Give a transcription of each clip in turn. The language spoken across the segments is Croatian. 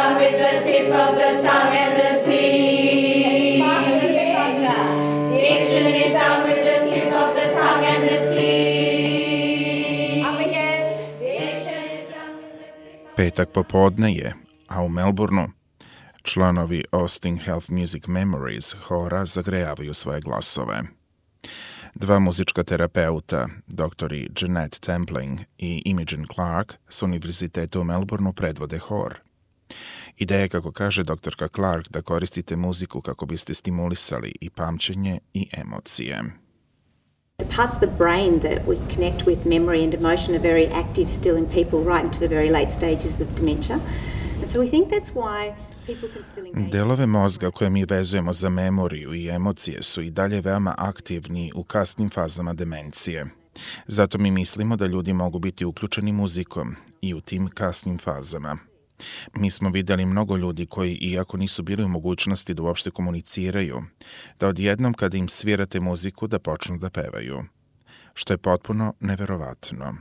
sound with the tip of the tongue and the teeth. Diction is done with the tip of the tongue and the teeth. Up again. Diction is done with the tip of... Petak popodne je, a u Melbourneu članovi Austin Health Music Memories hora zagrejavaju svoje glasove. Dva muzička terapeuta, doktori Jeanette Templing i Imogen Clark, s univerziteta u Melbourneu predvode hor. Ideja je, kako kaže doktorka Clark, da koristite muziku kako biste stimulisali i pamćenje i emocije. The parts of the brain that we connect with memory and emotion are very active still in people right into the very late stages of dementia. So we think that's why people can still engage. Delove mozga koje mi vezujemo za memoriju i emocije su i dalje veoma aktivni u kasnim fazama demencije. Zato mi mislimo da ljudi mogu biti uključeni muzikom i u tim kasnim fazama. Mi smo vidjeli mnogo ljudi koji, iako nisu bili u mogućnosti da uopšte komuniciraju, da odjednom kada im svirate muziku da počnu da pevaju, što je potpuno neverovatno.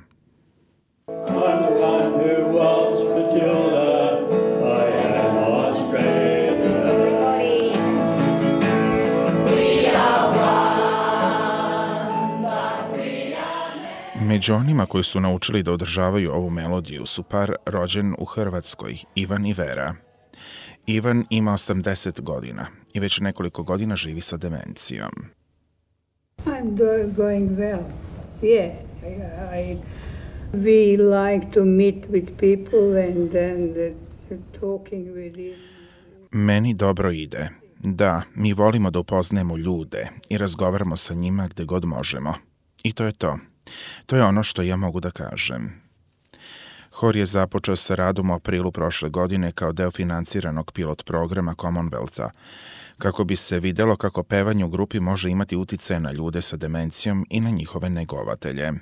Među onima koji su naučili da održavaju ovu melodiju su par rođen u Hrvatskoj, Ivan i Vera. Ivan ima 80 godina i već nekoliko godina živi sa demencijom. I'm going well. Yeah, we like to meet with people and talking with them. Meni dobro ide. Da, mi volimo da upoznajemo ljude i razgovaramo sa njima gde god možemo. I to je to. To je ono što ja mogu da kažem. Hor je započeo sa radom u aprilu prošle godine kao deo financiranog pilot programa Commonwealtha, kako bi se videlo kako pevanje u grupi može imati uticaje na ljude sa demencijom i na njihove negovatelje.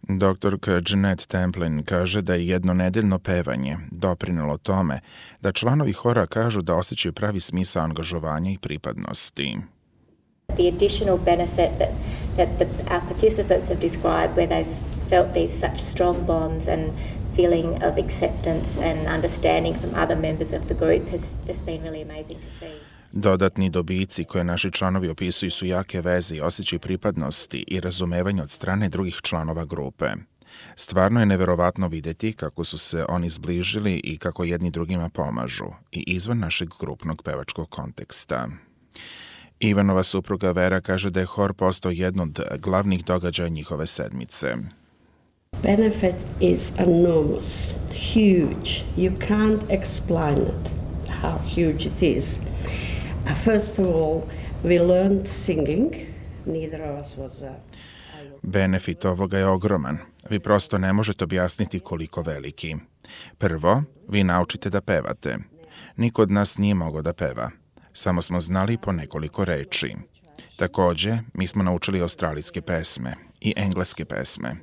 Doktorka Jeanette Templin kaže da je jednonedeljno pevanje doprinelo tome da članovi hora kažu da osjećaju pravi smisao angažovanja i pripadnosti. The additional benefit that our participants have described, where they've felt these such strong bonds and feeling of acceptance and understanding from other members of the group has been really amazing to see. Dodatni dobici koje naši članovi opisuju su jake veze i osjećaj pripadnosti i razumevanja od strane drugih članova grupe. Stvarno je neverovatno vidjeti kako su se oni zbližili i kako jedni drugima pomažu, i izvan našeg grupnog pevačkog konteksta. Ivanova supruga Vera kaže da je hor postao jedno od glavnih događaja njihove sedmice. Benefit is enormous, huge. You can't explain it, how huge it is. First of all, we learned singing. Neither of us was Benefit ovoga je ogroman. Vi prosto ne možete objasniti koliko veliki. Prvo, vi naučite da pevate. Niko od nas nije mogao da peva. Samo smo znali po nekoliko reči. Takođe, mi smo naučili australijske pesme i engleske pesme.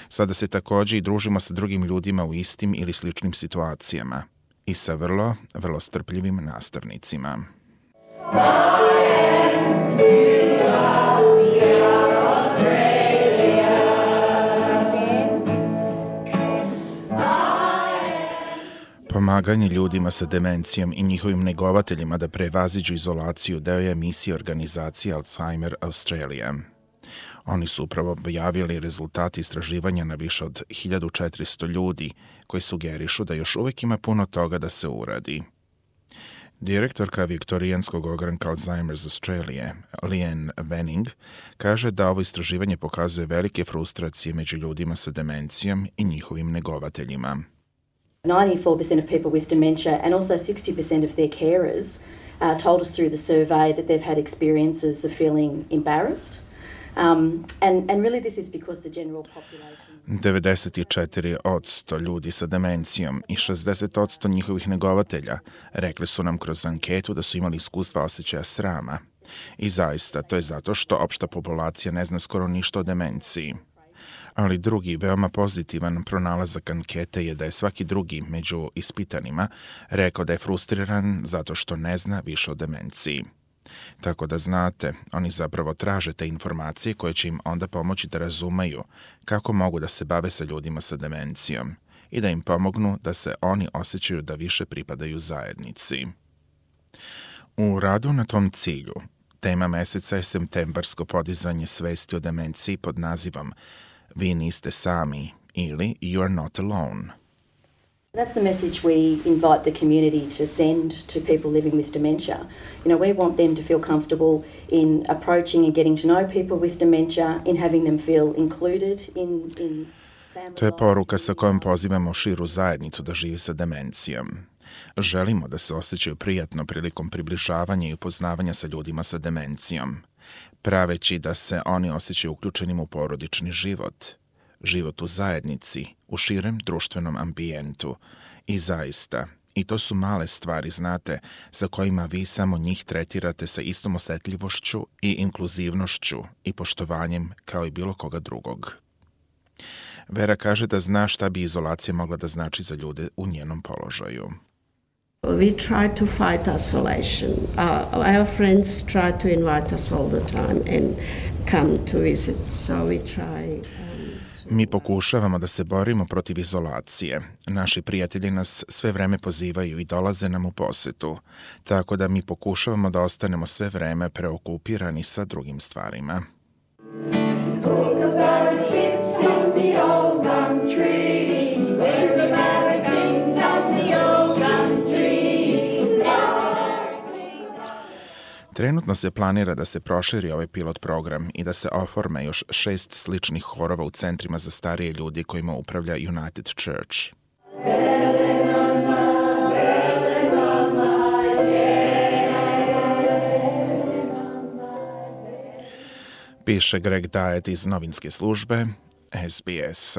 Sada se takođe i družimo sa drugim ljudima u istim ili sličnim situacijama i sa vrlo, vrlo strpljivim nastavnicima. Pomaganje ljudima sa demencijom i njihovim negovateljima da prevaziđu izolaciju deo je emisije organizacije Alzheimer Australia. Oni su upravo objavili rezultati istraživanja na više od 1400 ljudi koji sugerišu da još uvijek ima puno toga da se uradi. Direktorka Viktorijanskog ogranka Alzheimer's Australia, Leanne Venning, kaže da ovo istraživanje pokazuje velike frustracije među ljudima sa demencijom i njihovim negovateljima. 94% of people with dementia and also 60% of their carers told us through the survey that they've had experiences of feeling embarrassed. And really this is because the general population... 94% ljudi sa demencijom i 60% njihovih negovatelja rekli su nam kroz anketu da su imali iskustva osjećaja srama. I zaista, to je zato što opšta populacija ne zna skoro ništa o demenciji. Ali drugi, veoma pozitivan pronalazak ankete je da je svaki drugi među ispitanima rekao da je frustriran zato što ne zna više o demenciji. Tako da znate, oni zapravo traže te informacije koje će im onda pomoći da razumeju kako mogu da se bave sa ljudima sa demencijom i da im pomognu da se oni osjećaju da više pripadaju zajednici. U radu na tom cilju, tema meseca je septembarsko podizanje svesti o demenciji pod nazivom Vi niste sami ili You are not alone. That's the message we invite the community to send to people living with dementia. We want them to feel comfortable in approaching and getting to know people with dementia, in having them feel included in family. To je poruka sa kojom pozivamo širu zajednicu da živi sa demencijom. Želimo da se osjećaju prijatno prilikom približavanja i upoznavanja sa ljudima sa demencijom, praveći da se oni osjećaju uključenim u porodični život, život u zajednici, u širem društvenom ambijentu. I zaista, i to su male stvari, znate, za kojima vi samo njih tretirate sa istom osjetljivošću i inkluzivnošću i poštovanjem kao i bilo koga drugog. Vera kaže da zna šta bi izolacija mogla da znači za ljude u njenom položaju. We try to fight isolation. Our friends try to invite us all the time and come to visit. So we try. Mi pokušavamo da se borimo protiv izolacije. Naši prijatelji nas sve vreme pozivaju i dolaze nam u posetu, tako da mi pokušavamo da ostanemo sve vreme preokupirani sa drugim stvarima. Trenutno se planira da se proširi ovaj pilot program i da se oforme još 6 sličnih horova u centrima za starije ljudi kojima upravlja United Church. Piše Greg Diet iz novinske službe SBS.